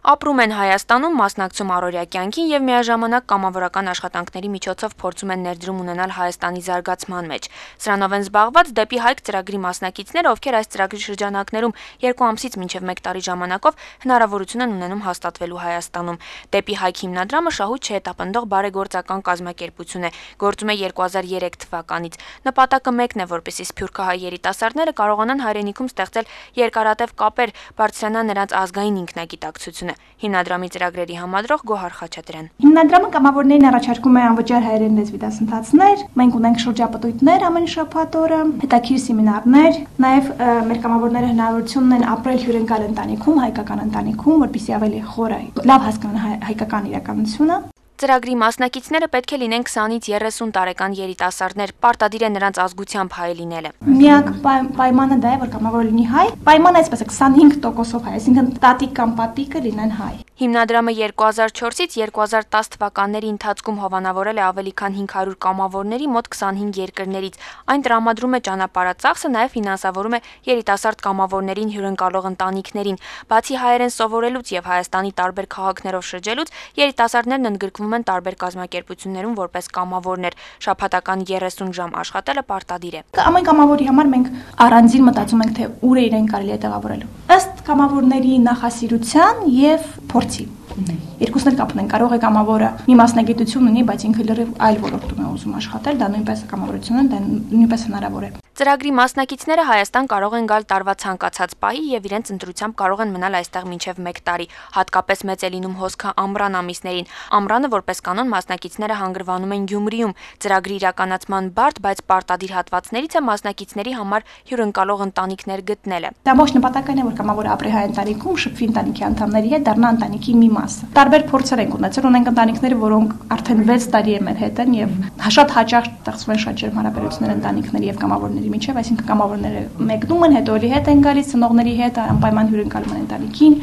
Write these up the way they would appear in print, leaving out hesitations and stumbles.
Ապրում են Հայաստանում, մասնակցում առօրյա կյանքին եւ միաժամանակ կամավորական աշխատանքների միջոցով փորձում են ներդրում ունենալ Հայաստանի զարգացման մեջ։ Սրանով են զբաղված Դեպի Հայք ծրագրի մասնակիցները, ովքեր այս ծրագրի շրջանակներում 2 ամսից մինչև 1 տարի ժամանակով հնարավորություն են ունենում հաստատվելու Հայաստանում։ Դեպի Հայք հիմնադրամը շահույթ չհետապնդող բարեգործական կազմակերպություն է, գործում է 2003 թվականից։ Նպատակը մեկն է, որպեսզի սփյուռքահայ երիտասարդները կարողանան հայրենիքում ստեղծել երկարատև կապեր, բարձրանան նրանց ազգային ինքնագիտակցությունը։ Հիմնադրամի ծրագրերի համադրող Գոհար Խաչատրյան։ Հիմնադրամը կամավորներին առաջարկում է անվճար հայերեն լեզվի դասընթացներ, մենք ունենք շրջապտույտներ ամեն շաբաթ օրը, հետաքրքիր սեմինարներ, նաև մեր կամավորները հնարավորություն ունեն ապրել հյուրընկալ ընտանիքում, հայկական ընտանիքում, որպեսզի ավելի խորը լավ հասկանան հայկական իրականությունը։ Ծրագրի մասնակիցները պետք է լինեն 20-ից 30 տարեկան երիտասարդներ, պարտադիր է նրանց ազգությամբ հայ լինելը։ Միակ պայմանը դա է, որ կամավորը լինի հայ, պայմանը այսպես է 25%-ով հայ, այսինքն տատիկ կամ պատիկը լինեն հայ։ Հիմնադրամը 2004-ից 2010 թվականների ընթացքում հովանավորել է ավելի քան 500 կամավորների մոտ 25 երկրներից։ Այն տրամադրում է ճանապարհածախսը, նաև ֆինանսավորում է երիտասարդ կամավորներին հյուրընկալող ընտանիքներին։ Բացի հայերեն սովորելուց եւ Հայաստանի տարբեր քաղաքներով շրջելուց, երիտասարդներն ընդգրկվում են տարբեր կազմակերպություններում որպես կամավորներ։ Շաբաթական 30 ժամ աշխատելը պարտադիր է։ Ամեն կամավորի համար մենք առանձին մտածում ենք, թե ուր է իրեն կարելի է տեղավորելու։ Ըստ կամավորների նախասիրության եւ փորձի։ Երկուսն էլ կապ ունեն, կարող է կամավորը մի մասնագիտություն ունի, բայց ինքը լրիվ այլ ոլորտում է ուզում աշխատել, դա նույնպես կամավորություն է, դա նույնպես հնարավոր է։ Ծրագրի մասնակիցները Հայաստան կարող են գալ տարվա ցանկացած պահի եւ իրենց ընտրությամբ կարող են մնալ այստեղ մինչեւ 1 տարի։ Հատկապես մեծ է լինում հոսքը ամռան ամիսներին։ Ամռանը որպես կանոն մասնակիցները հանգրվանում են Գյումրիում։ Ծրագրի իրականացման բարդ, բայց պարտադիր հատվածներից է մասնակիցների համար հյուրընկալող ընտանիքներ գտնելը։ Դա ոչ նպատակն է, որ կամավորը ապրի հայ ընտանիքում, շփվի ընտանիքի անդամների հետ, դառնա ընտանիքի մի մասը։ Տարբեր փորձեր ենք ունեցել, ունենք ընտանիքներ, որոնք արդեն 6 տարի է մեր հետ են եւ շատ հաճախ ստեղծվում են շատ ջերմ հարաբերություններ ընտանիքների եւ կամավորների միջև, այսինքն կամավորները մեկնում են, հետո էլի հետ են գալիս, ծնողների հետ անպայման հյուրընկալում են ընտանիքին։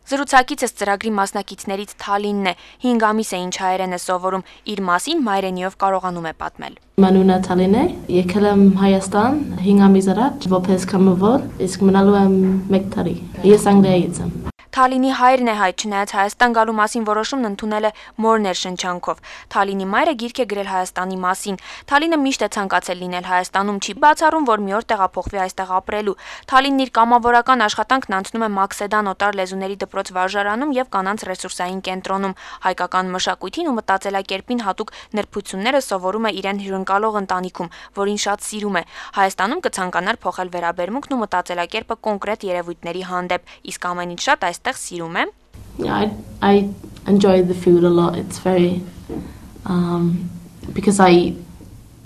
Զրուցակիցս ծրագրի մասնակիցներից Թալինն է, 5 ամիս է ինչ հայերեն է սովորում, իր մասին մայրենիով կարողանում է պատմել։ Մանունա Թալին է, եկել եմ Հայաստան 5 ամիս առաջ, որպես կամավոր, իսկ մնալու եմ 1 տարի։ Ես Անգլիայից եմ։ Թալինի հայրն է հայ, չնայած Հայաստան գալու մասին որոշումն ընդունել է մորներ շնչանքով։ Թալինի մայրը գիրք է գրել Հայաստանի մասին։ Թալինը միշտ է ցանկացել լինել Հայաստանում, չի բացառում, որ մի օր տեղափոխվի այստեղ ապրելու։ Թալինն իր կամավորական աշխատանքն անցնում է Մաքսեդան օտար լեզուների դպրոց վարժարանում եւ կանանց ռեսուրսային կենտրոնում։ Հայկական մշակույթին ու մտածելակերպին հատուկ նրբությունները սովորում է իրեն հյուրընկալող ընտանիքում, որին շատ սիրում է։ Հայաստանում կցանկանար փոխել վերաբերմունքն ու մտածելակերպը կոնկրետ երևույթների հանդեպ, իսկ ամենից շատ այստեղ սիրում է։ I enjoy the food a lot. It's very because I eat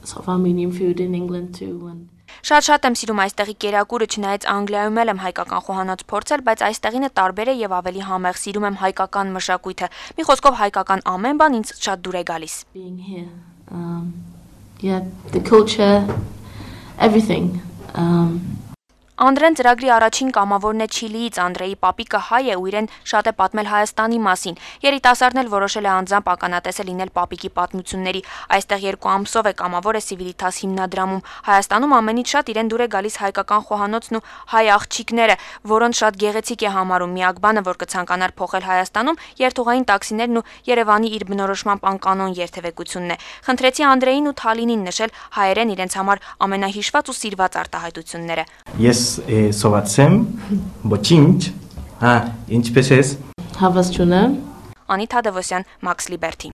sort of Armenian food in England too and Շատ եմ սիրում այստեղի կերակուրը, չնայած Անգլիայում եմ հայկական խոհանոց փորձել, բայց այստեղինը տարբեր է եւ ավելի համեղ, սիրում եմ հայկական մշակույթը։ Մի խոսքով հայկական ամեն բան ինձ շատ դուր է գալիս։ Being here. Yeah, the culture, everything. Անդրեն ծրագրի առաջին կամավորն է Չիլիից, Անդրեի պապիկը հայ է ու իրեն շատ է պատմել Հայաստանի մասին։ Երիտասարդն էլ որոշել է անձամբ ականատեսը լինել պապիկի պատմությունների։ Այստեղ 2 ամսով է կամավոր է Civitas հիմնադրամում։ Հայաստանում ամենից շատ իրեն դուր է գալիս հայկական խոհանոցն ու հայ աղջիկները, որոնց շատ գեղեցիկ է համարում։ Միակ բանը, որ կցանկանար փոխել Հայաստանում, երթուղային տաքսիներն ու Երևանի իր բնորոշմամբ անկանոն երթևեկությունն է։ Խնդրեցի Անդրեին ու Թալինին նշել հայերեն իրենց համար ամենահիշված ու սիրված արտահայտությունները։ Ես սովածեմ, ոչինչ, ինչպես ես։ Հավաս չունեմ։ Անիթ Հադևոսյան, Max Liberty։